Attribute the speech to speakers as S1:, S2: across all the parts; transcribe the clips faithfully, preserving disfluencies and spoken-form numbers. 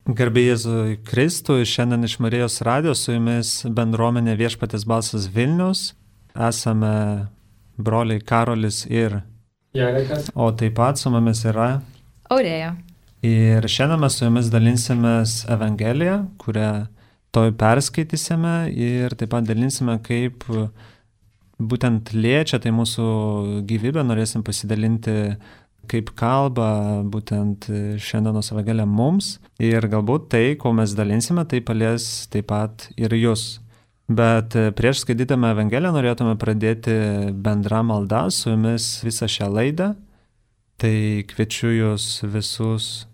S1: Garbė Jėzui Kristui, šiandien iš Marijos radijos su jumis bendruomenė Viešpaties balsas Vilnius. Esame broliai Karolis ir
S2: Jarekas.
S1: O taip pat su mumis yra
S3: Aurėja.
S1: Ir šiandien mes su jumis dalinsimės Evangeliją, kurią toj perskaitysime ir taip pat dalinsime, kaip būtent liečia tai mūsų gyvybę, norėsim pasidalinti kaip kalba būtent šiandienos Evangelija mums ir galbūt tai, ko mes dalinsime, tai palies taip pat ir jūs. Bet prieš skaitydami Evangeliją norėtume pradėti bendrą maldą su jumis visą šią laidą. Tai kviečiu jūs visus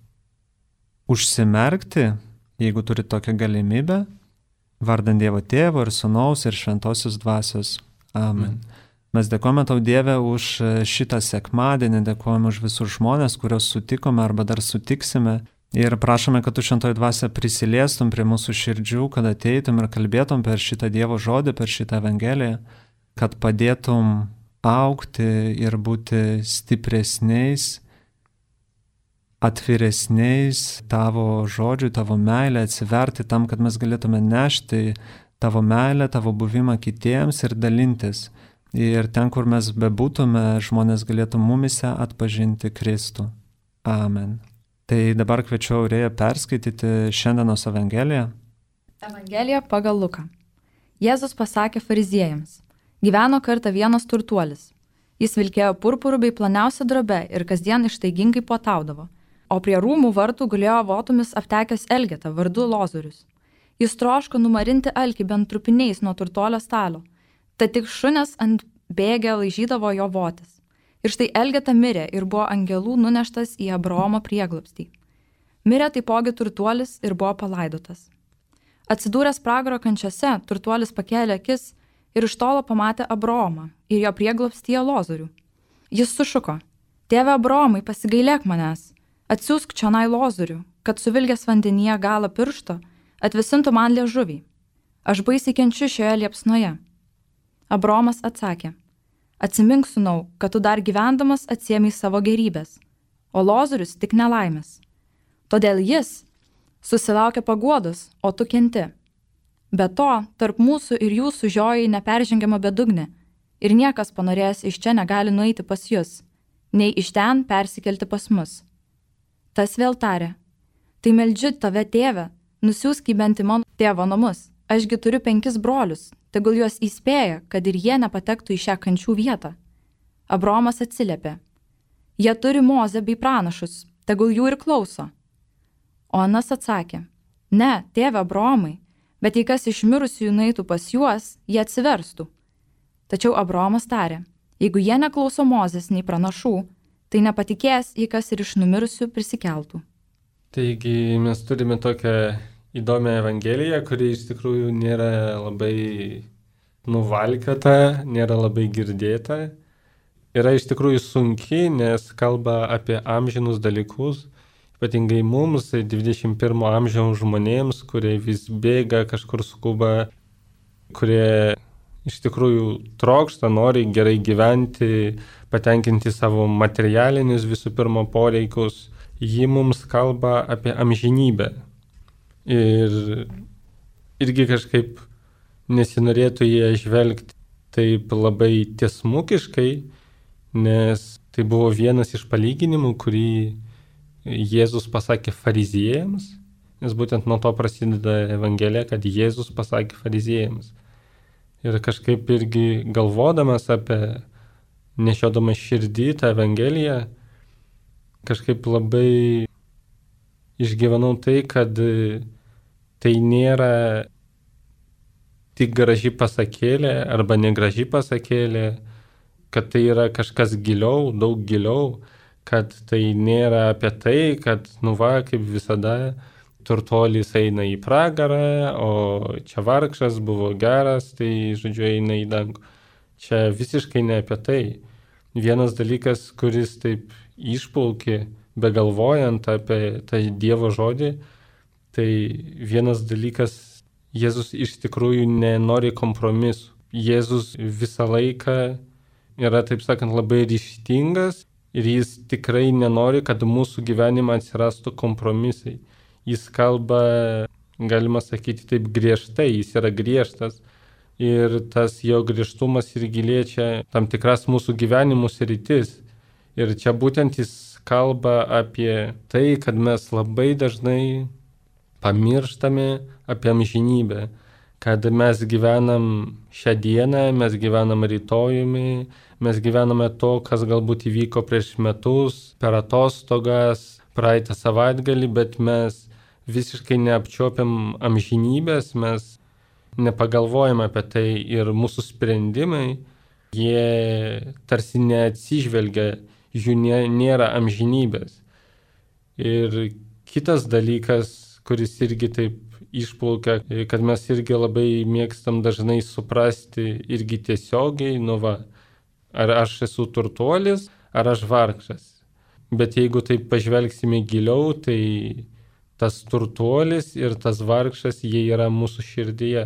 S1: užsimerkti, jeigu turite tokią galimybę, vardant Dievo Tėvo ir Sūnaus ir Šventosios Dvasios. Amen. Mm. Mes dėkojame tau, Dieve, už šitą sekmadienį, dėkojame už visus žmonės, kuriuos sutikome arba dar sutiksime. Ir prašome, kad tu Šventoji Dvasia prisiliestum prie mūsų širdžių, kad ateitum ir kalbėtum per šitą Dievo žodį, per šitą Evangeliją, kad padėtum augti ir būti stipresniais, atviresniais tavo žodžiui, tavo meilę, atsiverti tam, kad mes galėtume nešti tavo meilę, tavo buvimą kitiems ir dalintis. Ir ten, kur mes bebūtume, žmonės galėtų mumise atpažinti Kristų. Amen. Tai dabar kviečiu Aurėją perskaityti šiandienos Evangeliją.
S3: Evangelija pagal Luką. Jėzus pasakė fariziejams: gyveno kartą vienas turtuolis. Jis vilkėjo purpurų bei ploniausią drobę ir kasdien ištaigingai puotaudavo. O prie rūmų vartų gulėjo votomis aptekęs elgeta vardu Lozorius. Jis troško numarinti alkį bent trupiniais nuo turtuolio stalo. Tad tik šunes ant bėgę laižydavo jo votis. Ir štai Elgeta mirė ir buvo angelų nuneštas į Abraomo prieglobstį. Mirė taipogi turtuolis ir buvo palaidotas. Atsidūręs pragaro kančiose, turtuolis pakėlė akis ir iš tolo pamatė Abraomą ir jo prieglobstyje Lozorių. Jis sušuko: Tėve Abraomai, pasigailėk manęs, atsiųsk čionai Lozorių, kad suvilgęs vandenyje galą piršto atvisintų man liežuvį. Aš baisiai kenčiu šioje liepsnoje. Abraomas atsakė: atsimink, sūnau, kad tu dar gyvendamas atsiėmei savo gerybės, o Lozorius tik nelaimės. Todėl jis susilaukė paguodos, o tu kenti. Be to, tarp mūsų ir jūsų žioji neperžengiama bedugnė, ir niekas panorėjęs iš čia negali nueiti pas jus, nei iš ten persikelti pas mus. Tas vėl tarė: tai meldžiu tave, tėve, nusiųsk į bent į mano tėvo namus. Ašgi turiu penkis brolius, tegul juos įspėja, kad ir jie nepatektų į šią kančių vietą. Abraomas atsiliepė: jie turi Mozę bei pranašus, tegul jų ir klauso. O anas atsakė: ne, tėve Abraomai, bet jei kas iš mirusiųjų nueitų pas juos, jie atsiverstų. Tačiau Abraomas tarė: jeigu jie neklauso Mozės nei pranašų, tai nepatikės, jei kas ir iš numirusių prisikeltų.
S2: Taigi mes turime tokią įdomią Evangeliją, kuri iš tikrųjų nėra labai nuvalkiota, nėra labai girdėta. Yra iš tikrųjų sunki, nes kalba apie amžinus dalykus, ypatingai mums, dvidešimt pirmo amžiaus žmonėms, kurie vis bėga, kažkur skuba, kurie iš tikrųjų trokšta, nori gerai gyventi, patenkinti savo materialinius visų pirma poreikius. Ji mums kalba apie amžinybę. Ir irgi kažkaip nesinorėtų ją žvelgti taip labai tiesmukiškai, nes tai buvo vienas iš palyginimų, kurį Jėzus pasakė fariziejams, nes būtent nuo to prasideda Evangelija, kad Jėzus pasakė fariziejams. Ir kažkaip irgi galvodamas apie, nešiodamas širdį tą Evangeliją, kažkaip labai išgyvenau tai, kad tai nėra tik graži pasakėlė arba negraži pasakėlė, kad tai yra kažkas giliau, daug giliau, kad tai nėra apie tai, kad, nu va, kaip visada, turtuolis eina į pragarą, o čia vargšas buvo geras, tai, žodžiu, eina į dangų. Čia visiškai ne apie tai. Vienas dalykas, kuris taip išplaukė, begalvojant apie tą Dievo žodį, tai vienas dalykas, Jėzus iš tikrųjų nenori kompromisų. Jėzus visą laiką yra, taip sakant, labai ryžtingas ir jis tikrai nenori, kad mūsų gyvenime atsirastų kompromisai. jis kalba, galima sakyti, taip griežtai, jis yra griežtas. Ir tas jo griežtumas irgi liečia tam tikras mūsų gyvenimų sritis. Ir čia būtent jis kalba apie tai, kad mes labai dažnai pamirštame apie amžinybę. Kad mes gyvenam šią dieną, mes gyvenam rytojumi, mes gyvename to, kas galbūt įvyko prieš metus, per atostogas, praeitą savaitgalį, bet mes visiškai neapčiopiam amžinybės, mes nepagalvojame apie tai ir mūsų sprendimai, jie tarsi neatsižvelgia, jų nėra amžinybės. Ir kitas dalykas, kuris irgi taip išplaukia, kad mes irgi labai mėgstam dažnai suprasti irgi tiesiogiai, nu va, ar aš esu turtuolis, ar aš vargšas. Bet jeigu taip pažvelgsime giliau, tai tas turtuolis ir tas vargšas, jie yra mūsų širdyje.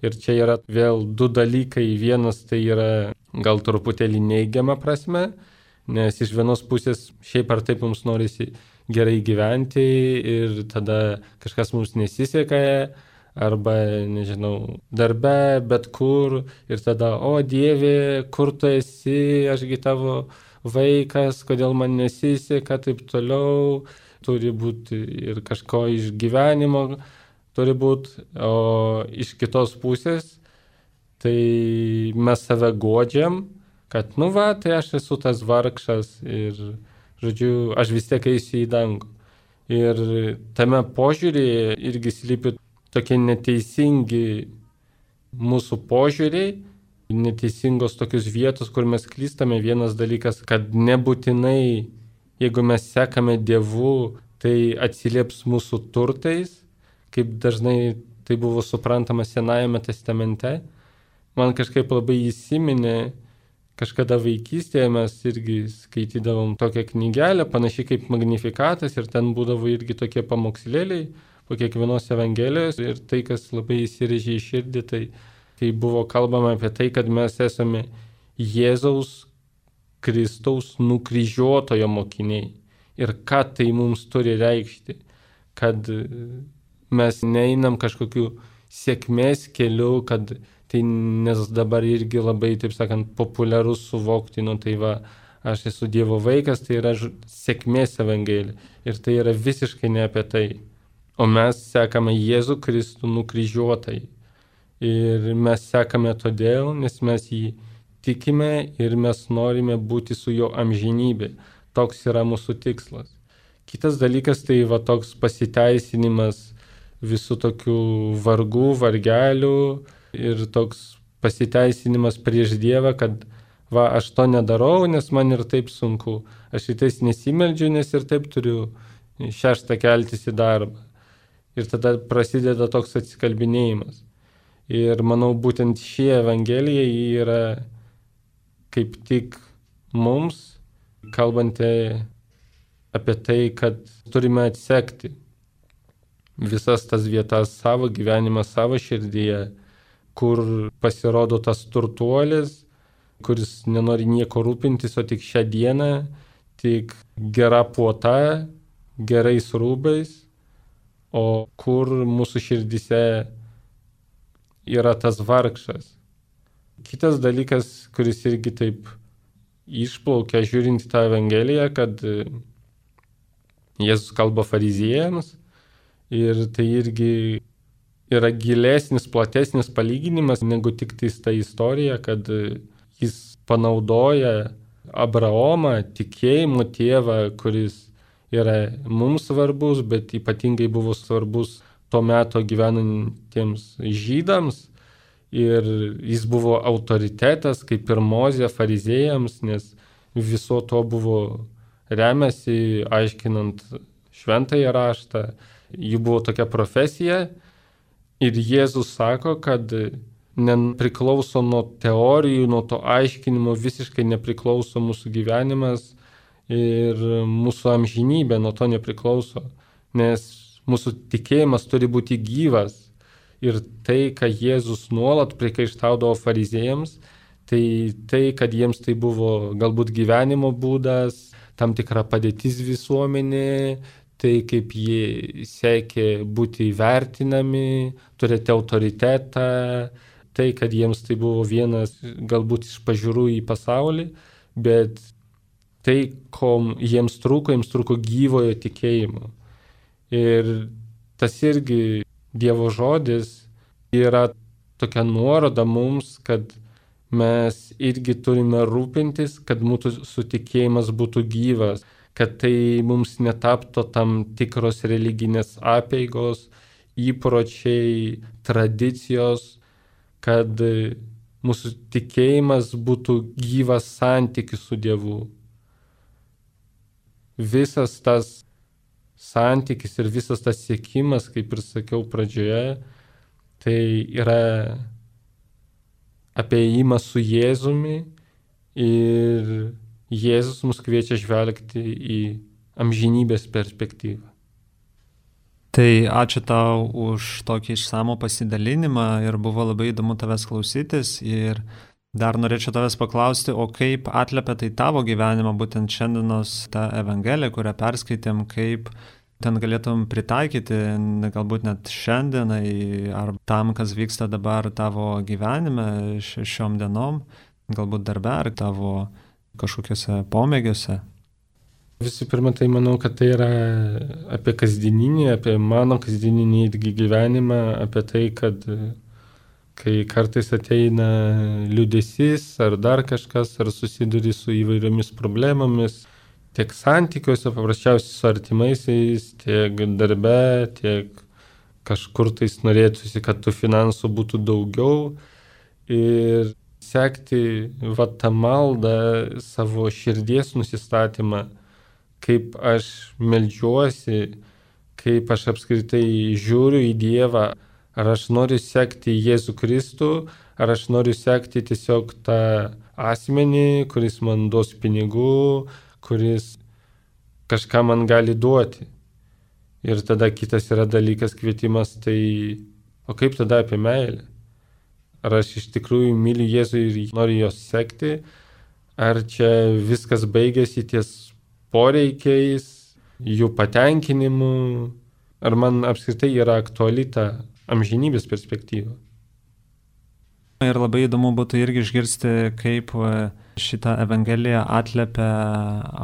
S2: Ir čia yra vėl du dalykai. Vienas tai yra gal truputėlį neigiama prasme, nes iš vienos pusės šiaip ar taip mums norisi gerai gyventi ir tada kažkas mums nesiseka, arba, nežinau, darbe, bet kur, ir tada, o Dieve, kur tu esi, ašgi tavo vaikas, kodėl man nesiseka, taip toliau, turi būti ir kažko iš gyvenimo, turi būti, o iš kitos pusės, tai mes save godžiam, kad, nu va, tai aš esu tas vargšas ir, žodžiu, aš vis tiek eisiu į dangų. Ir tame požiūrėje irgi slypi tokie neteisingi mūsų požiūriai, neteisingos tokios vietos, kur mes klystame. Vienas dalykas, kad nebūtinai, jeigu mes sekame Dievu, tai atsilieps mūsų turtais, kaip dažnai tai buvo suprantama Senajame testamente. Man kažkaip labai įsiminė, kažkada vaikystėje mes irgi skaitydavom tokią knygelę, panašiai kaip Magnifikatas, ir ten būdavo irgi tokie pamokslėliai po kiekvienos evangelijos, ir tai, kas labai įsirėžė į širdį, tai kai buvo kalbama apie tai, kad mes esame Jėzaus Kristaus nukryžiuotojo mokiniai. Ir ką tai mums turi reikšti, kad mes neinam kažkokiu sėkmės keliu, kad tai, nes dabar irgi labai, taip sakant, populiarus suvokti, nu tai va, aš esu Dievo vaikas, tai yra sėkmės evangelija. Ir tai yra visiškai ne apie tai. O mes sekame Jėzų Kristų nukryžiuotai. Ir mes sekame todėl, nes mes jį tikime ir mes norime būti su jo amžinybė. Toks yra mūsų tikslas. Kitas dalykas tai va toks pasiteisinimas visų tokių vargų, vargelių ir toks pasiteisinimas prieš Dievą, kad va, aš to nedarau, nes man ir taip sunku. Aš rytais nesimeldžiu, nes ir taip turiu šeštą keltis į darbą. Ir tada prasideda toks atsikalbinėjimas. Ir manau, būtent ši evangelija yra kaip tik mums, kalbanti apie tai, kad turime atsekti visas tas vietas savo gyvenimą, savo širdyje, kur pasirodo tas turtuolis, kuris nenori nieko rūpintis, o tik šią dieną, tik gera puota, gerais rūbais, o kur mūsų širdyse yra tas vargšas. Kitas dalykas, kuris irgi taip išplaukia žiūrint tą evangeliją, kad Jėzus kalba fariziejams ir tai irgi yra gilesnis, platesnis palyginimas negu tik tais ta istorija, kad jis panaudoja Abraomą, tikėjimo tėvą, kuris yra mums svarbus, bet ypatingai buvo svarbus tuo metu gyvenantiems žydams. Ir jis buvo autoritetas, kaip ir Mozė fariziejams, nes viso to buvo remiasi, aiškinant šventąjį raštą. Jų buvo tokia profesija. Ir Jėzus sako, kad nepriklauso nuo teorijų, nuo to aiškinimo, visiškai nepriklauso mūsų gyvenimas ir mūsų amžinybė nuo to nepriklauso. Nes mūsų tikėjimas turi būti gyvas. Ir tai, ką Jėzus nuolat priekaištaudavo fariziejams, tai tai, kad jiems tai buvo galbūt gyvenimo būdas, tam tikra padėtis visuomenė, tai kaip jie siekė būti įvertinami, turėti autoritetą, tai, kad jiems tai buvo vienas galbūt iš pažiūrų į pasaulį, bet tai, ko jiems trūko, jiems trūko gyvojo tikėjimo. Ir tas irgi Dievo žodis yra tokia nuoroda mums, kad mes irgi turime rūpintis, kad mūsų sutikėjimas būtų gyvas, kad tai mums netaptų tam tikros religinės apeigos, įpročiai, tradicijos, kad mūsų tikėjimas būtų gyvas santykis su Dievu. Visas tas santykis ir visas tas siekimas, kaip ir sakiau pradžioje, tai yra apie ėjimą su Jėzumi ir Jėzus mus kviečia žvelgti į amžinybės perspektyvą.
S1: Tai ačiū tau už tokį išsamų pasidalinimą ir buvo labai įdomu tavęs klausytis ir dar norėčiau tavęs paklausti, o kaip atliepia tai tavo gyvenimą būtent šiandienos tą Evangeliją, kurią perskaitėm, kaip ten galėtum pritaikyti, galbūt net šiandienai ar tam, kas vyksta dabar tavo gyvenime šiom dienom, galbūt darbe ar tavo kažkokiuose pomėgiuose.
S2: Visų pirma, tai manau, kad tai yra apie kasdieninį, apie mano kasdieninį gyvenimą, apie tai, kad kai kartais ateina liūdesys ar dar kažkas, ar susiduri su įvairiomis problemomis, tiek santykiuose, paprasčiausiai su artimaisiais, tiek darbe, tiek kažkur tais norėtųsi, kad tų finansų būtų daugiau ir sekti va tą maldą, savo širdies nusistatymą, kaip aš meldžiuosi, kaip aš apskritai žiūriu į Dievą, ar aš noriu sekti Jėzų Kristų, ar aš noriu sekti tiesiog tą asmenį, kuris man duos pinigų, kuris kažką man gali duoti. Ir tada kitas yra dalykas kvietimas, tai o kaip tada apie meilę? Ar aš iš tikrųjų myliu Jėzų ir noriu jos sekti, ar čia viskas baigėsi ties poreikiais, jų patenkinimu, ar man apskritai yra aktuali ta amžinybės perspektyva.
S1: Ir labai įdomu būtų irgi išgirsti, kaip šitą Evangeliją atliepia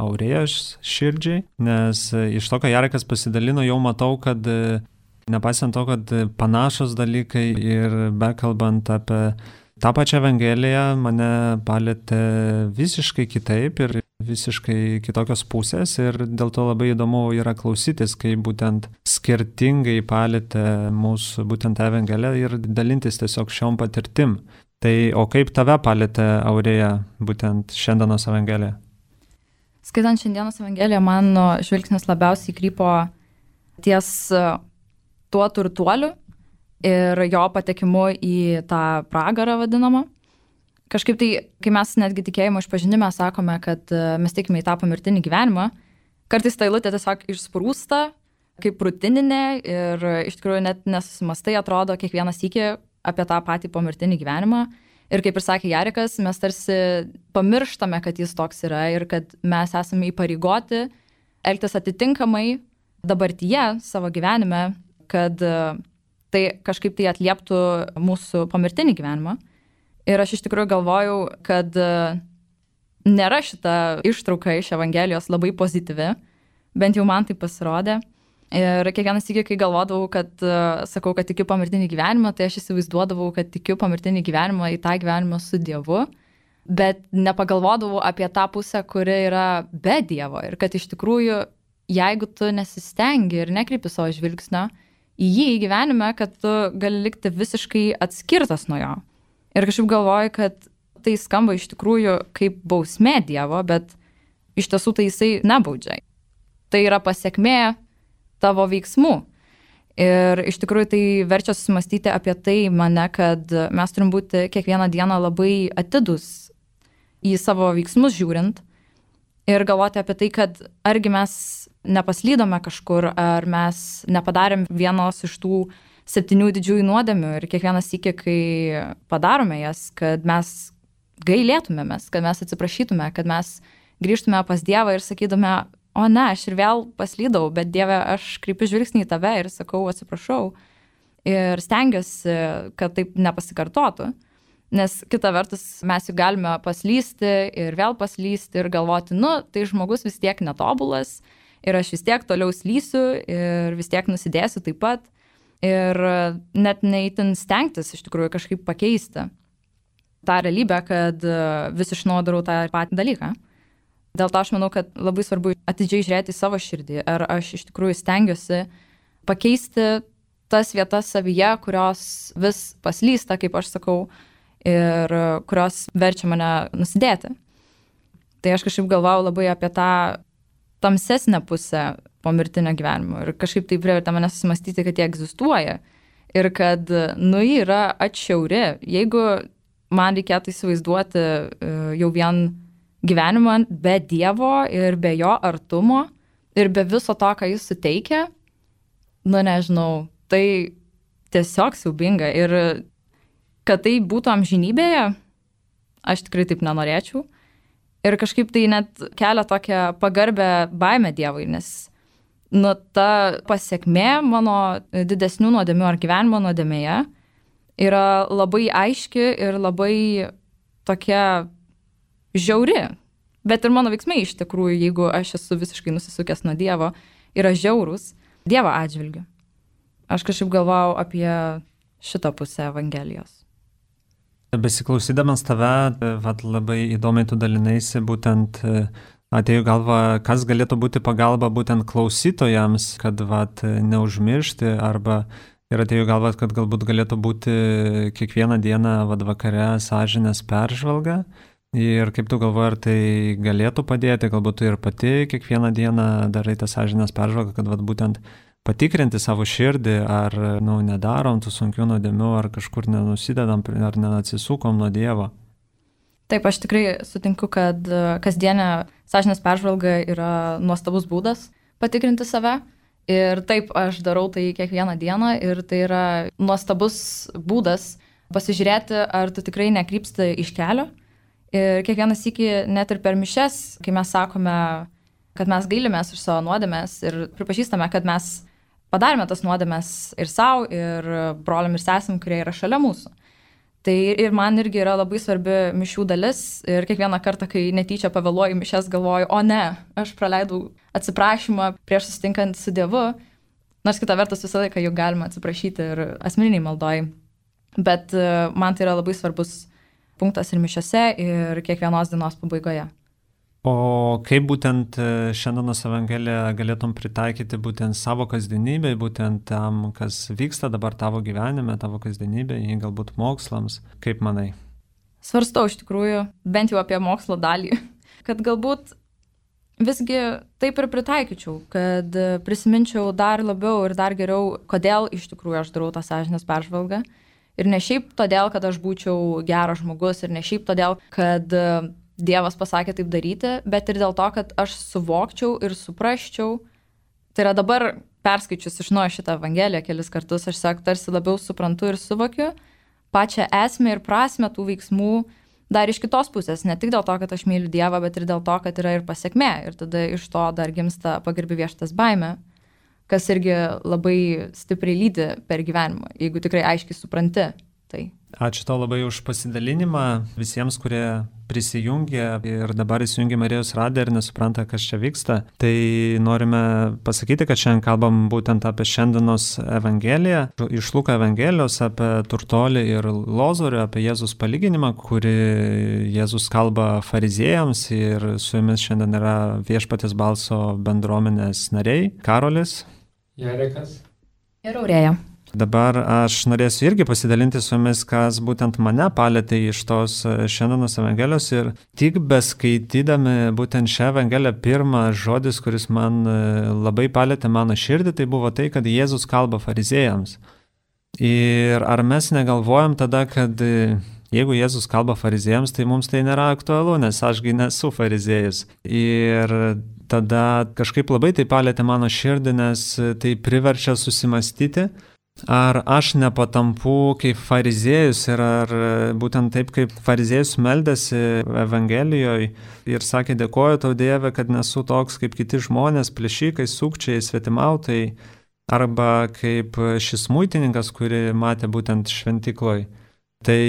S1: Aurėjos širdžiai, nes iš to, ką Jarekas pasidalino, jau matau, kad nepaisant to, kad panašus dalykai ir bekalbant apie tą pačią Evangeliją, mane palėtė visiškai kitaip ir visiškai kitokios pusės ir dėl to labai įdomu yra klausytis, kaip būtent skirtingai palėtė mūsų būtent Evangeliją ir dalintis tiesiog šiom patirtim. Tai o kaip tave palėtė Aurėja būtent šiandienos Evangelija?
S3: Skaitant šiandienos Evangeliją, mano žvilgsnis labiausiai krypo ties tuo turtuoliu ir jo patekimu į tą pragarą vadinamą. Kažkaip tai, kai mes netgi tikėjimo išpažinime sakome, kad mes tikime į tą pomirtinį gyvenimą, kartais ta eilutė tiesiog išsprūsta kaip rutininė ir iš tikrųjų net nesusimastai atrodo kiekvieną sykį apie tą patį pomirtinį gyvenimą. Ir kaip ir sakė Jarekas, mes tarsi pamirštame, kad jis toks yra ir kad mes esame įpareigoti elgtis atitinkamai dabartyje savo gyvenime, kad tai kažkaip tai atlieptų mūsų pomirtinį gyvenimą. Ir aš iš tikrųjų galvojau, kad nėra šita ištrauka iš Evangelijos labai pozityvi, bent jau man tai pasirodė. Ir kiekvienas sykį, kai galvodavau, kad sakau, kad tikiu pomirtinį gyvenimą, tai aš įsivaizduodavau, kad tikiu pomirtinį gyvenimą į tą gyvenimą su Dievu, bet nepagalvodavau apie tą pusę, kuri yra be Dievo. Ir kad iš tikrųjų, jeigu tu nesistengi ir nekreipi savo žvilgsnio į jį į gyvenime, kad tu gali likti visiškai atskirtas nuo jo. Ir kažkaip galvoju, kad tai skamba iš tikrųjų kaip bausmė Dievo, bet iš tiesų tai jisai nebaudžia. Tai yra pasekmė tavo veiksmų. Ir iš tikrųjų tai verčia susimastyti apie tai mane, kad mes turim būti kiekvieną dieną labai atidus į savo veiksmus žiūrint ir galvoti apie tai, kad argi mes nepaslydome kažkur, ar mes nepadarėm vienos iš tų septynių didžiųjų nuodėmių ir kiekvienas sykį, kai padarome jas, kad mes gailėtumėmės, kad mes atsiprašytume, kad mes grįžtume pas Dievą ir sakytume, o ne, aš ir vėl paslydau, bet Dieve, aš kreipiu žvilgsnį į tave ir sakau, atsiprašau. Ir stengiuosi, kad taip nepasikartotų. Nes kita vertus mes juk galime paslysti ir vėl paslysti ir galvoti, nu, tai žmogus vis tiek netobulas ir aš vis tiek toliau slysiu ir vis tiek nusidėsiu taip pat. Ir net neįtin stengtis iš tikrųjų kažkaip pakeisti tą realybę, kad vis iš naujo darau tą patį dalyką. Dėl to aš manau, kad labai svarbu atidžiai žiūrėti į savo širdį, ar aš iš tikrųjų stengiuosi pakeisti tas vietas savyje, kurios vis paslysta, kaip aš sakau, ir kurios verčia mane nusidėti. Tai aš kažkaip galvojau labai apie tą tamsesnę pusę pomirtinio gyvenimo ir kažkaip tai privertė mane susimastyti, kad jie egzistuoja ir kad, nu, ji yra atšiauri. Jeigu man reikėtų įsivaizduoti jau vien gyvenimą be Dievo ir be jo artumo ir be viso to, ką jis suteikia, nu, nežinau, tai tiesiog siaubinga. Ir kad tai būtų amžinybėje, aš tikrai taip nenorėčiau. Ir kažkaip tai net kelia tokią pagarbę baimę Dievui, nes nu, ta pasiekmė mano didesnių nuodėmių ar gyvenimo nuodėmėje yra labai aiški ir labai tokia žiauri. Bet ir mano veiksmai iš tikrųjų, jeigu aš esu visiškai nusisukęs nuo Dievo, yra žiaurus Dievo atžvilgiu. Aš kažkaip galvojau apie šitą pusę Evangelijos.
S1: Besiklausydamas tave, vat, labai įdomiai tu dalinaisi, būtent atėjo galva, kas galėtų būti pagalba būtent klausytojams, kad vat, neužmiršti, arba ir atėjo galva, kad galbūt galėtų būti kiekvieną dieną vat, vakare sąžinės peržvalga. Ir kaip tu galvoji, ar tai galėtų padėti, galbūt tu ir pati kiekvieną dieną darai tą sąžinės peržvalgą, kad vat, būtent patikrinti savo širdį, ar nu, nedarom tų sunkių nuodėmių, ar kažkur nenusidedam, ar neatsisukom nuo Dievo.
S3: Taip, aš tikrai sutinku, kad kasdienė sąžinės peržvalga yra nuostabus būdas patikrinti save. Ir taip, aš darau tai kiekvieną dieną ir tai yra nuostabus būdas pasižiūrėti, ar tu tikrai nekrypsti iš kelio. Ir kiekvieną sykį, net ir per mišias, kai mes sakome, kad mes gailimės už savo nuodėmes ir pripažįstame, kad mes padarėme tas nuodėmes ir savo, ir broliam ir sesim, kurie yra šalia mūsų. Tai ir man irgi yra labai svarbi mišių dalis ir kiekvieną kartą, kai netyčia pavėluoju mišias, galvoju, o ne, aš praleidau atsiprašymą prieš susitinkant su Dievu, nors kita vertus visą laiką juk galima atsiprašyti ir asmeniniai maldoj. Bet man tai yra labai svarbus punktas ir mišiose, ir kiekvienos dienos pabaigoje.
S1: O kaip būtent šiandienos Evangeliją galėtum pritaikyti būtent savo kasdienybėj, būtent tam, kas vyksta dabar tavo gyvenime, tavo kasdienybėj, galbūt mokslams, kaip manai?
S3: Svarstau iš tikrųjų, bent jau apie mokslo dalį, kad galbūt visgi taip ir pritaikyčiau, kad prisiminčiau dar labiau ir dar geriau, kodėl iš tikrųjų aš darau tą sąžinės peržvalgą. Ir ne šiaip todėl, kad aš būčiau geras žmogus, ir ne šiaip todėl, kad Dievas pasakė taip daryti, bet ir dėl to, kad aš suvokčiau ir suprasčiau. Tai yra dabar perskaičius iš naujo šitą Evangeliją kelis kartus, aš sak, tarsi labiau suprantu ir suvokiu pačią esmę ir prasmę tų veiksmų dar iš kitos pusės. Ne tik dėl to, kad aš myliu Dievą, bet ir dėl to, kad yra ir pasiekmė. Ir tada iš to dar gimsta pagarbi vieštas baimė, kas irgi labai stipriai lydi per gyvenimą, jeigu tikrai aiškiai supranti tai.
S1: Ačiū tau labai už pasidalinimą visiems, kurie prisijungė ir dabar įsijungė Marijos radiją ir nesupranta, kas čia vyksta. Tai norime pasakyti, kad šiandien kalbam būtent apie šiandienos Evangeliją, iš Luko Evangelijos, apie turtuolį ir lozorių, apie Jėzus palyginimą, kurį Jėzus kalba fariziejams, ir su jumis šiandien yra Viešpaties balso bendruomenės nariai Karolis,
S2: Jarekas
S3: ir Aurėja.
S1: Dabar aš norėsiu irgi pasidalinti su jumis, kas būtent mane palėtė iš tos šiandienos Evangelijos, ir tik beskaitydami būtent šią Evangeliją, pirmas žodis, kuris man labai palėtė mano širdį, tai buvo tai, kad Jėzus kalba fariziejams. Ir ar mes negalvojam tada, kad jeigu Jėzus kalba fariziejams, tai mums tai nėra aktualu, nes ašgi nesu fariziejus. Ir tada kažkaip labai tai palėtė mano širdį, nes tai priverčia susimastyti ar aš nepatampu kaip fariziejus ir ar būtent taip kaip fariziejus meldėsi Evangelijoje ir sakė, dėkoju tau Dieve, kad nesu toks kaip kiti žmonės, plėšikai, sukčiai, svetimautai, arba kaip šis muitininkas, kurį matė būtent šventykloj. Tai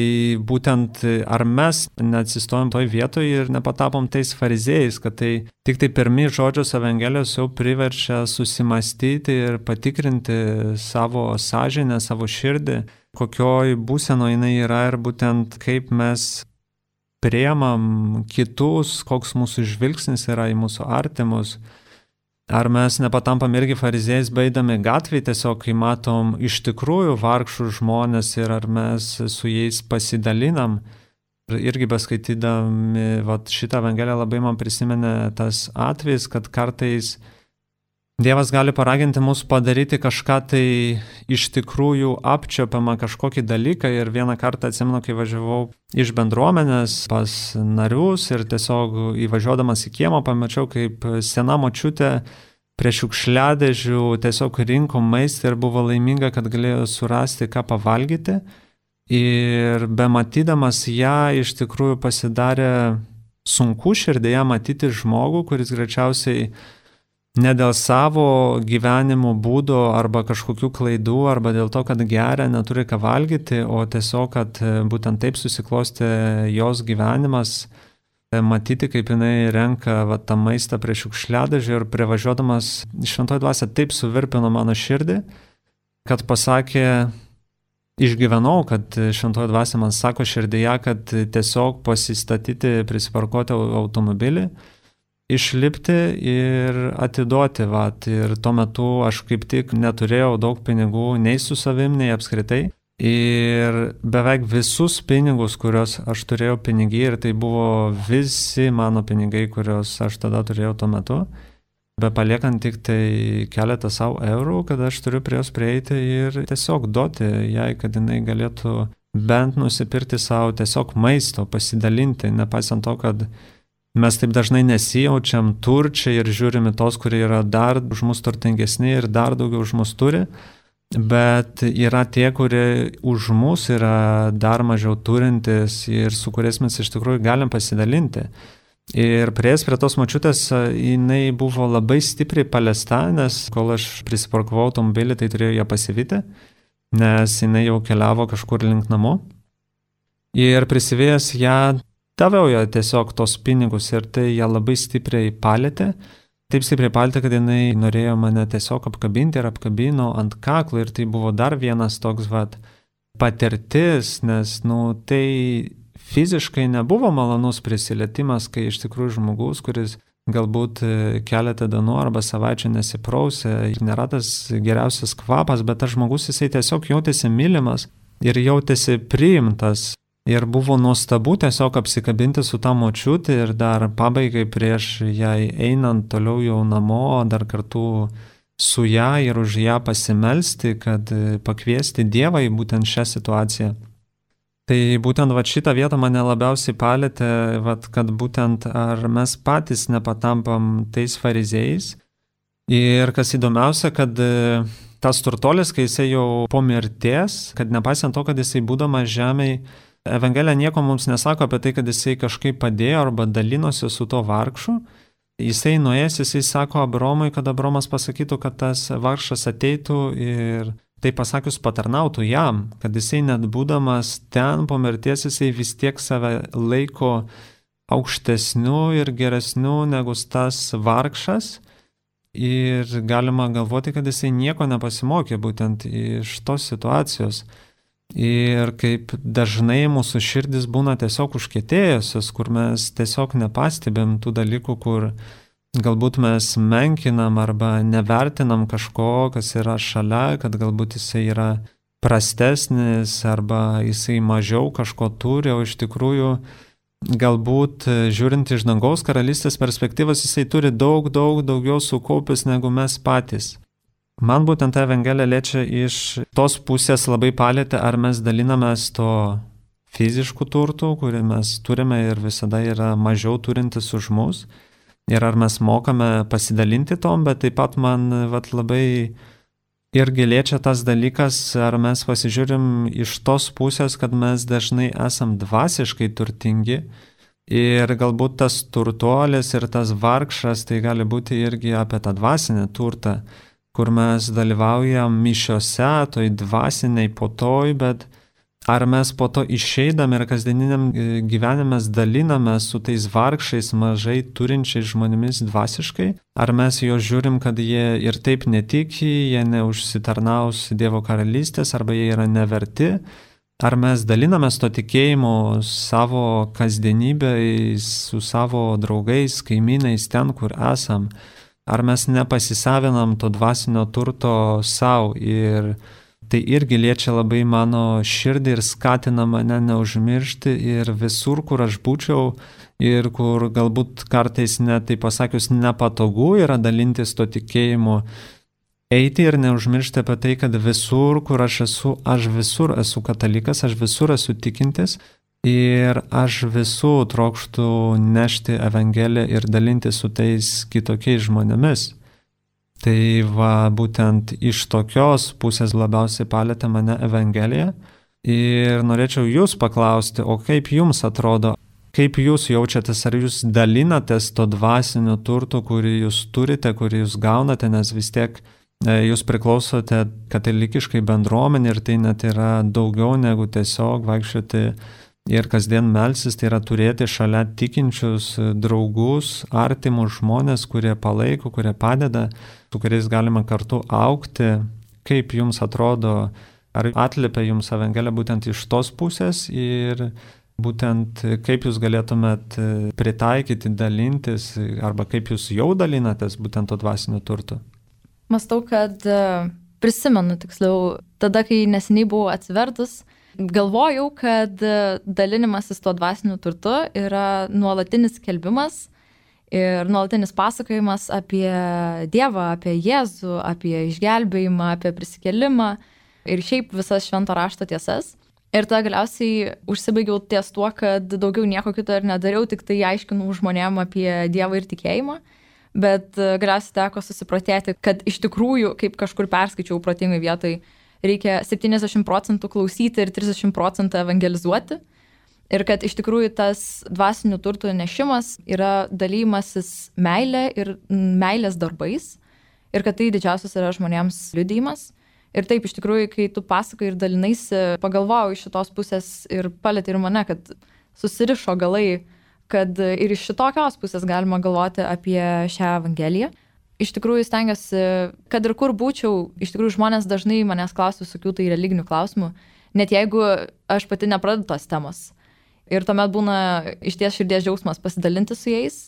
S1: būtent ar mes neatsistojom toj vietoj ir nepatapom tais fariziejais, kad tai tik tai pirmi žodžios Evangelijos jau priverčia susimastyti ir patikrinti savo sąžinę, savo širdį, kokioj būsenoje jinai yra ir būtent kaip mes priemam kitus, koks mūsų žvilgsnis yra į mūsų artimus. Ar mes nepatampam irgi fariziejais beidami gatvėje, tiesiog kai matom iš tikrųjų vargšų žmonės ir ar mes su jais pasidalinam. Ir irgi beskaitydami vat, šitą Evangeliją labai man prisimenė tas atvejis, kad kartais Dievas gali paraginti mus padaryti kažką tai iš tikrųjų apčiuopiamą kažkokį dalyką. Ir vieną kartą atsimenu, kai važiavau iš bendruomenės pas narius ir tiesiog įvažiuodamas į kiemą pamačiau, kaip sena močiutė prie šiukšliadėžių tiesiog rinko maistą ir buvo laiminga, kad galėjo surasti ką pavalgyti. Ir bematydamas ją iš tikrųjų pasidarė sunku širdėje matyti žmogų, kuris greičiausiai ne dėl savo gyvenimo būdo arba kažkokių klaidų, arba dėl to, kad geria, neturi ką valgyti, o tiesiog, kad būtent taip susiklostė jos gyvenimas, matyti, kaip jinai renka va, tą maistą prie šiukšliadėžių ir privažiuodamas šventoji dvasia taip suvirpino mano širdį, kad pasakė, išgyvenau, kad šventoji dvasia man sako širdyje, kad tiesiog pasistatyti, prisiparkuoti automobilį, išlipti ir atiduoti. Vat. Ir tuo metu aš kaip tik neturėjau daug pinigų nei su savim, nei apskritai. Ir beveik visus pinigus, kuriuos aš turėjau pinigai, ir tai buvo visi mano pinigai, kuriuos aš tada turėjau tuo metu, be paliekant tik tai keletą savo eurų, kad aš turiu prie jos prieiti ir tiesiog duoti jai, kad jinai galėtų bent nusipirkti savo tiesiog maisto, pasidalinti, nepaisant to, kad mes taip dažnai nesijaučiam turčiai ir žiūrime tos, kurie yra dar už mus turtingesni ir dar daugiau už mus turi, bet yra tie, kurie už mus yra dar mažiau turintis ir su kuriais mes iš tikrųjų galim pasidalinti. Ir prieės prie tos močiutės, jinai buvo labai stipriai paliesta, nes kol aš prisiparkavau automobilį, tai turėjau ją pasivyti, nes jinai jau keliavo kažkur link namo. Ir prisivėjęs ją, daviau ją tiesiog tos pinigus ir tai ją labai stipriai palėtė. Taip stipriai palėtė, kad jinai norėjo mane tiesiog apkabinti ir apkabino ant kaklo ir tai buvo dar vienas toks vat, patirtis, nes nu, tai fiziškai nebuvo malonus prisilietimas, kai iš tikrųjų žmogus, kuris galbūt keletą dienų arba savaičių nesiprausė, nėra tas geriausias kvapas, bet tas žmogus jisai tiesiog jautėsi mylimas ir jautėsi priimtas. Ir buvo nuostabu tiesiog apsikabinti su tą močiutę ir dar pabaigai prieš jai einant toliau jau namo, dar kartu su ją ir už ją pasimelsti, kad pakviesti Dievą į būtent šią situaciją. Tai būtent vat, šitą vietą mane labiausiai palėtė, vat, kad būtent ar mes patys nepatampam tais fariziejais. Ir kas įdomiausia, kad tas turtuolis, kai jisai jau po mirties, kad nepaisant to, kad jisai būdamas žemėj, Evangelija nieko mums nesako apie tai, kad jisai kažkaip padėjo arba dalinosi su to vargšu. Jisai nuėjęs, jisai sako Abromui, kad Abromas pasakytų, kad tas vargšas ateitų ir tai pasakius patarnautų jam, kad jisai net būdamas ten po mirties, jisai vis tiek save laiko aukštesniu ir geresniu negu tas vargšas. Ir galima galvoti, kad jisai nieko nepasimokė būtent iš tos situacijos. Ir kaip dažnai mūsų širdis būna tiesiog užkietėjusios, kur mes tiesiog nepastebėm tų dalykų, kur galbūt mes menkinam arba nevertinam kažko, kas yra šalia, kad galbūt jisai yra prastesnis arba jisai mažiau kažko turi, o iš tikrųjų galbūt žiūrint iš dangaus karalystės perspektyvos jisai turi daug, daug daugiau sukaupęs negu mes patys. Man būtent ta Evangelija liečia iš tos pusės labai palėtė, ar mes dalinamės to fiziškų turtų, kurį mes turime ir visada yra mažiau turintis už mus, ir ar mes mokame pasidalinti tom, bet taip pat man vat, labai irgi liečia tas dalykas, ar mes pasižiūrim iš tos pusės, kad mes dažnai esam dvasiškai turtingi ir galbūt tas turtuolis ir tas vargšas tai gali būti irgi apie tą dvasinę turtą, kur mes dalyvaujam mišiose, toj dvasiniai potoj, bet ar mes po to išeidam ir kasdieniniam gyvenime daliname su tais vargšais, mažai turinčiais žmonėmis dvasiškai? Ar mes jo žiūrim, kad jie ir taip netiki, jie neužsitarnaus Dievo karalystės, arba jie yra neverti? Ar mes dalinamės to tikėjimo savo kasdienybėj, su savo draugais, kaimynais ten, kur esam? Ar mes nepasisavinam to dvasinio turto savo? Ir tai irgi liečia labai mano širdį ir skatina mane neužmiršti ir visur, kur aš būčiau ir kur galbūt kartais net, tai pasakius, nepatogu yra dalintis to tikėjimu, eiti ir neužmiršti apie tai, kad visur, kur aš esu, aš visur esu katalikas, aš visur esu tikintis ir aš visur trokštu nešti Evangeliją ir dalinti su tais kitokiais žmonėmis. Tai va, būtent iš tokios pusės labiausiai palėtė mane Evangelija ir norėčiau jūs paklausti, o kaip jums atrodo, kaip jūs jaučiatės, ar jūs dalinatės to dvasinio turto, kurį jūs turite, kurį jūs gaunate, nes vis tiek jūs priklausote katalikiškai bendruomenė ir tai net yra daugiau negu tiesiog vaikščioti ir kasdien melsis, tai yra turėti šalia tikinčius draugus, artimus žmonės, kurie palaiko, kurie padeda, su kuriais galima kartu augti. Kaip jums atrodo, ar atliepia jums Evangelija būtent iš tos pusės ir būtent kaip jūs galėtumėt pritaikyti, dalintis, arba kaip jūs jau dalinatės būtent to dvasinio turto?
S3: Mąstau, kad prisimenu tiksliau, tada, kai neseniai buvau atsivertus, galvojau, kad dalinimasis tuo dvasiniu turtu yra nuolatinis skelbimas ir nuolatinis pasakojimas apie Dievą, apie Jėzų, apie išgelbėjimą, apie prisikėlimą ir šiaip visas švento rašto tiesas. Ir tada galiausiai užsibaigiau ties tuo, kad daugiau nieko kito ir nedariau, tik tai aiškinau žmonėm apie Dievą ir tikėjimą. Bet galiausiai teko susiprotėti, kad iš tikrųjų, kaip kažkur perskaičiau protingai vietoj, reikia septyniasdešimt procentų klausyti ir trisdešimt procentų evangelizuoti. Ir kad iš tikrųjų tas dvasinių turtų nešimas yra dalymasis meilė ir meilės darbais. Ir kad tai didžiausias yra žmonėms liudijimas. Ir taip, iš tikrųjų, kai tu pasakai ir dalinaisi, pagalvojau iš šitos pusės ir palėtė ir mane, kad susirišo galai, kad ir iš šitokios pusės galima galvoti apie šią Evangeliją. Iš tikrųjų stengiuosi, kad ir kur būčiau, iš tikrųjų žmonės dažnai manęs klausia visokių tai religinių klausimų, net jeigu aš pati nepradedu tos temos. Ir tuomet būna iš ties širdies džiaugsmas pasidalinti su jais.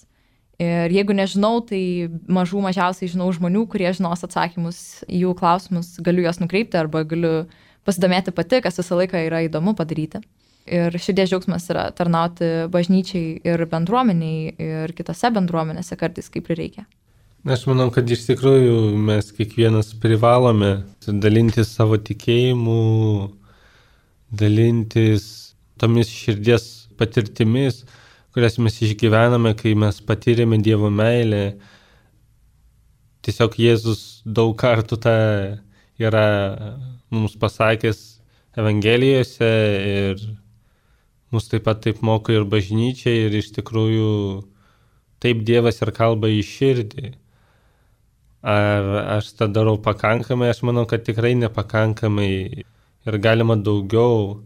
S3: Ir jeigu nežinau, tai mažų mažiausiai žinau žmonių, kurie žinos atsakymus į jų klausimus, galiu juos nukreipti arba galiu pasidomėti pati, kas visą laiką yra įdomu padaryti. Ir širdies džiaugsmas yra tarnauti bažnyčiai ir bendruomeniai ir kitose bendruomenėse kartais, kaip prireikia.
S2: Aš manau, kad iš tikrųjų mes kiekvienas privalome dalintis savo tikėjimu, dalintis tomis širdies patirtimis, kurias mes išgyvename, kai mes patyrėme Dievo meilę. Tiesiog Jėzus daug kartų tą yra mums pasakęs Evangelijose ir mus taip pat taip moko ir bažnyčia ir iš tikrųjų taip Dievas ir kalba į širdį. Ar aš tą darau pakankamai? Aš manau, kad tikrai nepakankamai ir galima daugiau,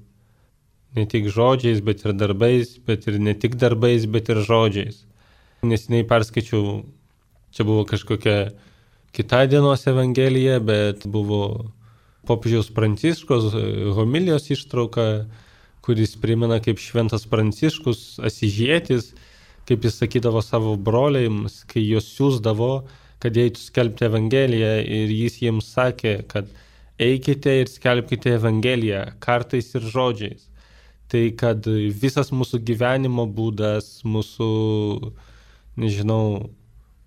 S2: ne tik žodžiais, bet ir darbais, bet ir ne tik darbais, bet ir žodžiais. Neseniai perskaičiau, čia buvo kažkokia kita dienos Evangelija, bet buvo popiežiaus Pranciškos homilijos ištrauka, kuris primena, kaip šventas Pranciškus Asyžietis, kaip jis sakydavo savo broliams, kai juos siųsdavo, kad eitų skelbti Evangeliją ir jis jiems sakė, kad eikite ir skelbkite Evangeliją kartais ir žodžiais. Tai kad visas mūsų gyvenimo būdas, mūsų, nežinau,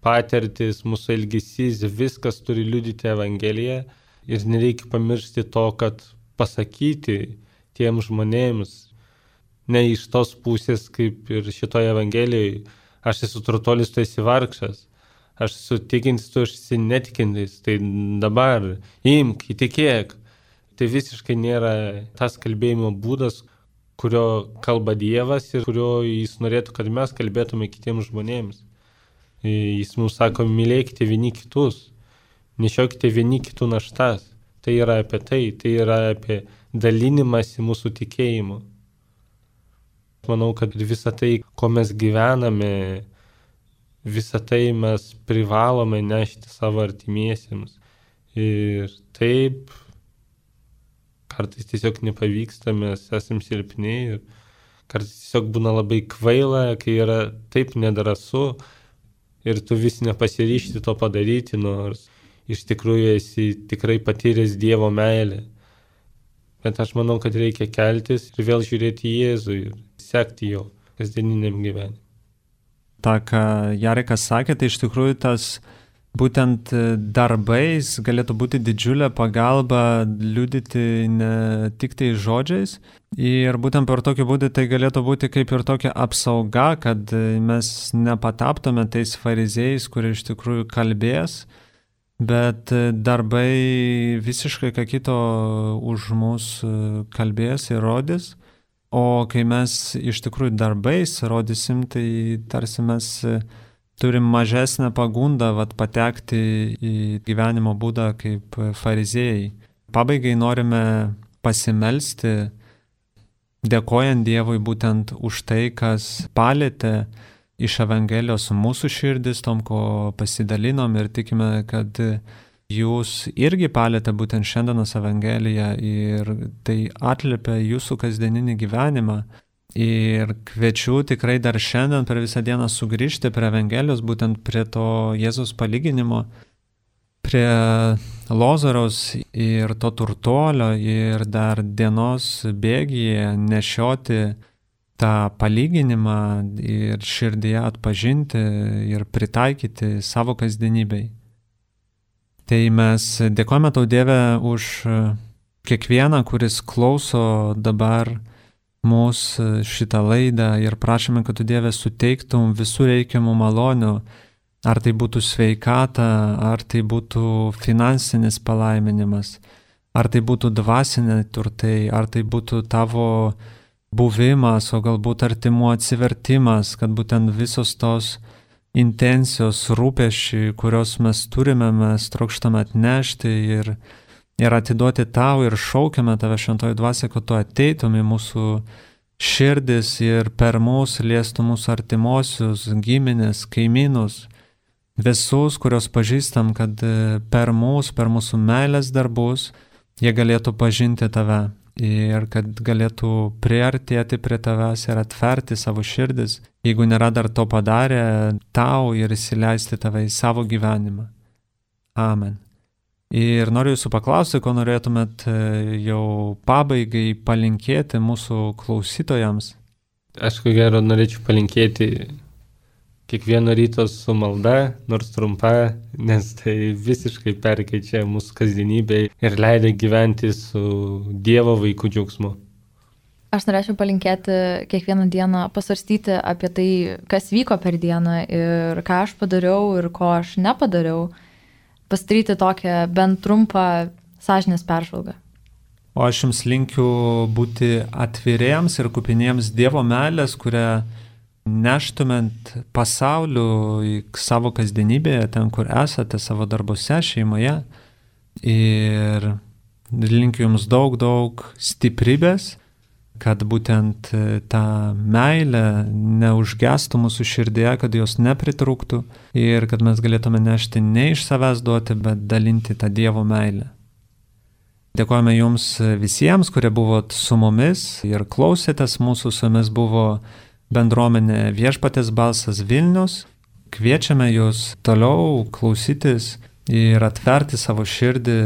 S2: patirtis, mūsų elgesys, viskas turi liudyti Evangeliją ir nereikia pamiršti to, kad pasakyti tiems žmonėms, ne iš tos pusės, kaip ir šitoje Evangelijoje, aš esu turtuolis, tu esi vargšas. aš sutikintis, tu esi netikintis, tai dabar imk, įtikėk. Tai visiškai nėra tas kalbėjimo būdas, kurio kalba Dievas ir kurio jis norėtų, kad mes kalbėtume kitiems žmonėms. Jis mums sako, mylėkite vieni kitus, nešiokite vieni kitų naštas. Tai yra apie tai, tai yra apie dalinimąsi mūsų tikėjimu. Manau, kad visą tai, ko mes gyvename, visą tai mes privalome nešti savo artimiesiems. Ir taip, kartais tiesiog nepavyksta, mes esam silpni ir kartais tiesiog būna labai kvaila, kai yra taip nedrąsu ir tu vis nepasiryšti to padaryti, nors iš tikrųjų esi tikrai patyręs Dievo meilę. Bet aš manau, kad reikia keltis ir vėl žiūrėti į Jėzų ir sekti jo kasdieniniam gyvenimui.
S1: Ta, ką Jarekas sakė, tai iš tikrųjų tas būtent darbais galėtų būti didžiulė pagalba liudyti ne tik tai žodžiais. Ir būtent per tokį būdį tai galėtų būti kaip ir tokia apsauga, kad mes nepataptume tais fariziejais, kurie iš tikrųjų kalbės, bet darbai visiškai ką kito už mus kalbės ir rodys. O kai mes iš tikrųjų darbais rodysim, tai tarsi mes turim mažesnę pagundą vat, patekti į gyvenimo būdą kaip fariziejai. Pabaigai norime pasimelsti, dėkojant Dievui būtent už tai, kas palėtė iš Evangelijos mūsų širdis, tom, ko pasidalinom ir tikime, kad jūs irgi palėtė būtent šiandienos Evangeliją ir tai atliepia jūsų kasdieninį gyvenimą. Ir kviečiu tikrai dar šiandien per visą dieną sugrįžti prie Evangelijos, būtent prie to Jėzaus palyginimo, prie Lozoriaus ir to turtuolio ir dar dienos bėgyje nešioti tą palyginimą ir širdyje atpažinti ir pritaikyti savo kasdienybei. Tai mes dėkojame tau, Dieve, už kiekvieną, kuris klauso dabar mūsų šitą laidą ir prašome, kad tu, Dieve, suteiktum visų reikiamų malonių, ar tai būtų sveikata, ar tai būtų finansinis palaiminimas, ar tai būtų dvasiniai turtai, ar tai būtų tavo buvimas, o galbūt artimų atsivertimas, kad būtent visos tos intencijos, rūpesčiai, kurios mes turime, mes trokštame atnešti ir, ir atiduoti tau ir šaukiame tave šventoji dvasia, kad tu ateitum į mūsų širdis ir per mūsų liestų mūsų artimuosius, giminės, kaimynus, visus, kurios pažįstam, kad per mūsų, per mūsų meilės darbus jie galėtų pažinti tave ir kad galėtų priartėti prie tavęs ir atverti savo širdis, jeigu nėra dar to padarę, tau ir įsileisti tave į savo gyvenimą. Amen. Ir noriu jūsų paklausti, ko norėtumėt jau pabaigai palinkėti mūsų klausytojams.
S2: Aš ko gero norėčiau palinkėti kiekvieno ryto su malda, nors trumpa, nes tai visiškai perkeičia mūsų kasdienybę ir leidžia gyventi su Dievo vaikų džiaugsmu.
S3: Aš norėčiau palinkėti kiekvieną dieną pasvarstyti apie tai, kas vyko per dieną ir ką aš padariau ir ko aš nepadariau, pasidaryti tokią bent trumpą sąžinės peržvalgą.
S1: O aš jums linkiu būti atviriems ir kupiniems Dievo meilės, kurią neštumėt pasauliu į savo kasdienybėje, ten, kur esate, savo darbose, šeimoje. Ir linkiu jums daug, daug stiprybės, kad būtent ta meilė neužgestų mūsų širdėje, kad jos nepritrūktų ir kad mes galėtume nešti ne iš savęs duoti, bet dalinti tą Dievo meilę. Dėkojame jums visiems, kurie buvot su mumis ir klausėtės mūsų, su jumis buvo bendruomenė Viešpaties balsas Vilnius. Kviečiame jūs toliau klausytis ir atverti savo širdį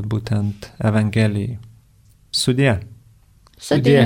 S1: būtent Evangelijai. Sudie.
S3: Sudie.